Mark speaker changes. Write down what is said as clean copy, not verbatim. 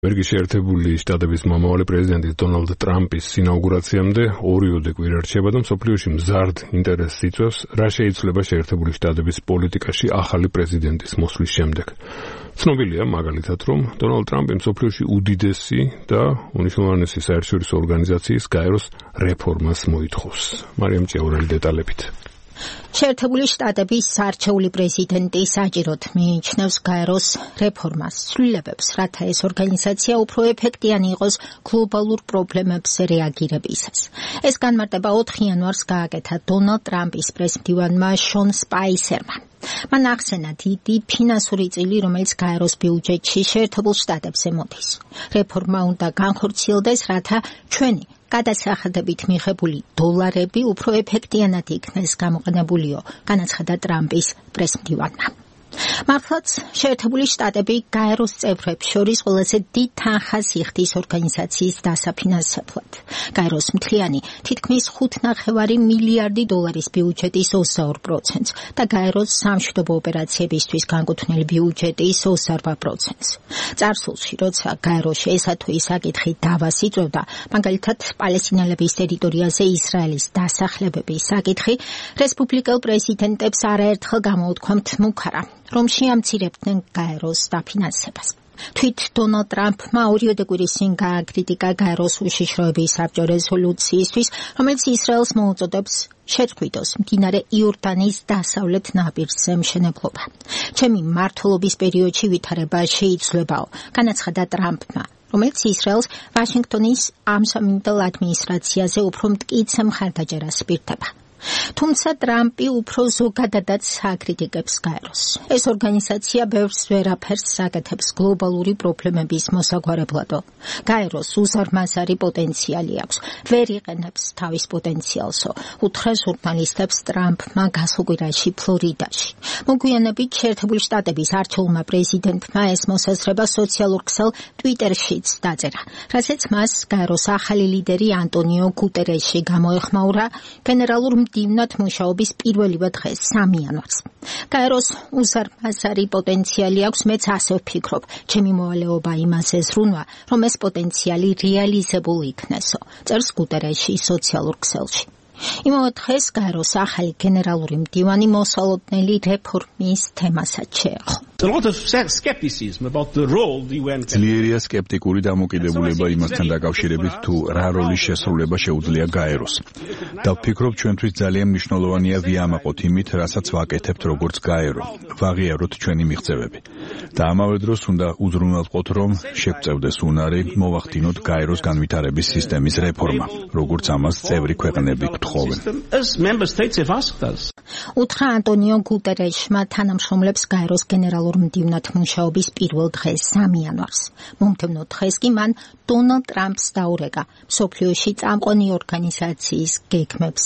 Speaker 1: ამერიკის შეერთებული შტატების მომავალი პრეზიდენტის დონალდ ტრამპის ინაუგურაციამდე ორივე კვირა რჩება და მსოფლიოში მზარდ ინტერესს იწვევს, რა შეიცვლება შეერთებული შტატების პოლიტიკაში ახალი პრეზიდენტის მოსვლის შემდეგ. ცნობილია მაგალითად, რომ დონალდ ტრამპი მსოფლიოში უდიდესი და უნიშნულოვანესი საერთაშორისო ორგანიზაციის გაეროს რეფორმას მოითხოვს. მარიამ ჭიაურელი დეტალებით.
Speaker 2: შეერთებული შტატების არჩეული პრეზიდენტი საჭიროდ მიიჩნევს გაეროს რეფორმას, ცვლილებებს, რათა ეს ორგანიზაცია უფრო ეფექტიანი იყოს გლობალურ პრობლემებზე რეაგირებისას. ეს განმარტება 4 იანვარს გააკეთა დონალდ ტრამპის პრესმდივანმა შონ სპაისერმა. მან ახსენა დიდი ფინანსური წილი, რომელიც გაეროს ბიუჯეტში შეერთებულ შტატებზე მოდის. რეფორმა უნდა განხორციელდეს, რათა ჩვენი გადასახადებით მიღებული დოლარები უფრო ეფექტიანად იქნეს გამოყენებულიო, განაცხადა ტრამპის პრესმდივანმა. მართლაც შეერთებული შტატები გაეროს წევრებს შორის ყველაზე დიდ თანხას იხდის ორგანიზაციის დასაფინანსებლად. გაეროს მთლიანი თითქმის 5,5 მილიარდი დოლარის ბიუჯეტის 22% და გაეროს სამშვიდობო ოპერაციებისთვის განკუთვნილი ბიუჯეტის 28%. წარსულში, როცა გაეროში ესა თუ ის საკითხი დავას იწვევდა, მაგალითად პალესტინელების ტერიტორიაზე ისრაელის დასახლებების საკითხი, რესპუბლიკელ პრეზიდენტებს არაერთხელ გამოუთქვამთ მუქარა, რომ შეამცირებდნენ გაეროს დაფინანსებას. თვით დონალდ ტრამპმა ორივე კვირის წინ გააკრიტიკა გაეროს უშიშროების საბჭო რეზოლუციისთვის, რომელიც ისრაელს მოუწოდებს შეწყვიტოს მდინარე იორდანის დასავლეთ ნაპირზე მშენებლობა. ჩემი მმართველობის პერიოდში ვითარება შეიცვლებაო, განაცხადა ტრამპმა, რომელიც ისრაელს ვაშინგტონის ამჟამინდელ ადმინისტრაციაზე უფრო მტკიცე მხარდაჭერას პირდება. თუმცა ტრამპი უფრო ზოგადადაც აკრიტიკებს გაეროს. ეს ორგანიზაცია ბევრს ვერაფერს აკეთებს გლობალური პრობლემების მოსაგვარებლადო. გაეროს უზარმაზარი პოტენციალი აქვს, ვერ იყენებს თავის პოტენციალსო, უთხრა ჟურნალისტებს ტრამპმა გასულ კვირაში ფლორიდაში. მოგვიანებით შეერთებული შტატების არჩეულმა პრეზიდენტმა ეს მოსაზრება სოციალურ ქსელ ტვიტერშიც დაწერა, რასაც მას გაეროს ახალი ლიდერი ანტონიო გუტერეში გამოეხმაურა გენერალურ მდივნად მუშაობის პირველივე დღეს 3 იანვარს. გაეროს უზარმაზარი პოტენციალი აქვს, მეც ასე ვფიქრობ. ჩემი მოვალეობა იმაზე ზრუნვა, რომ ეს პოტენციალი რეალიზებული იქნესო, წერს გუტერეში სოციალურ ქსელში. იმავე დღეს გაეროს ახალი გენერალური მდივანი მოსალოდნელი რეფორმის თემასაც შეეხო.
Speaker 3: ძლიერია სკეპტიკური დამოკიდებულება იმასთან დაკავშირებით, თუ რა როლის შესრულება შეუძლია გაეროს. და ვფიქრობ, ჩვენთვის ძალიან მნიშვნელოვანია ვიამაყოთ იმით, რასაც ვაკეთებთ როგორც გაერო, ვაღიაროთ ჩვენი მიღწევები. და ამავე დროს უნდა უზრუნველყოთ, რომ შეგვწევდეს უნარი მოვახდინოთ გაეროს განვითარების სისტემის რეფორმა, როგორც ამას წევრი ქვეყნები გთხოვენ.
Speaker 2: უთხრა ანტონიო გუტერეშმა თანამშრომლებს გაეროს გენერალურ მდივნად მუშაობის პირველ დღეს 3 იანვარს. მომდევნო დღეს კი მან დონალდ ტრამპს დაურეკა მსოფლიოში წამყვანი ორგანიზაციის გეგმებს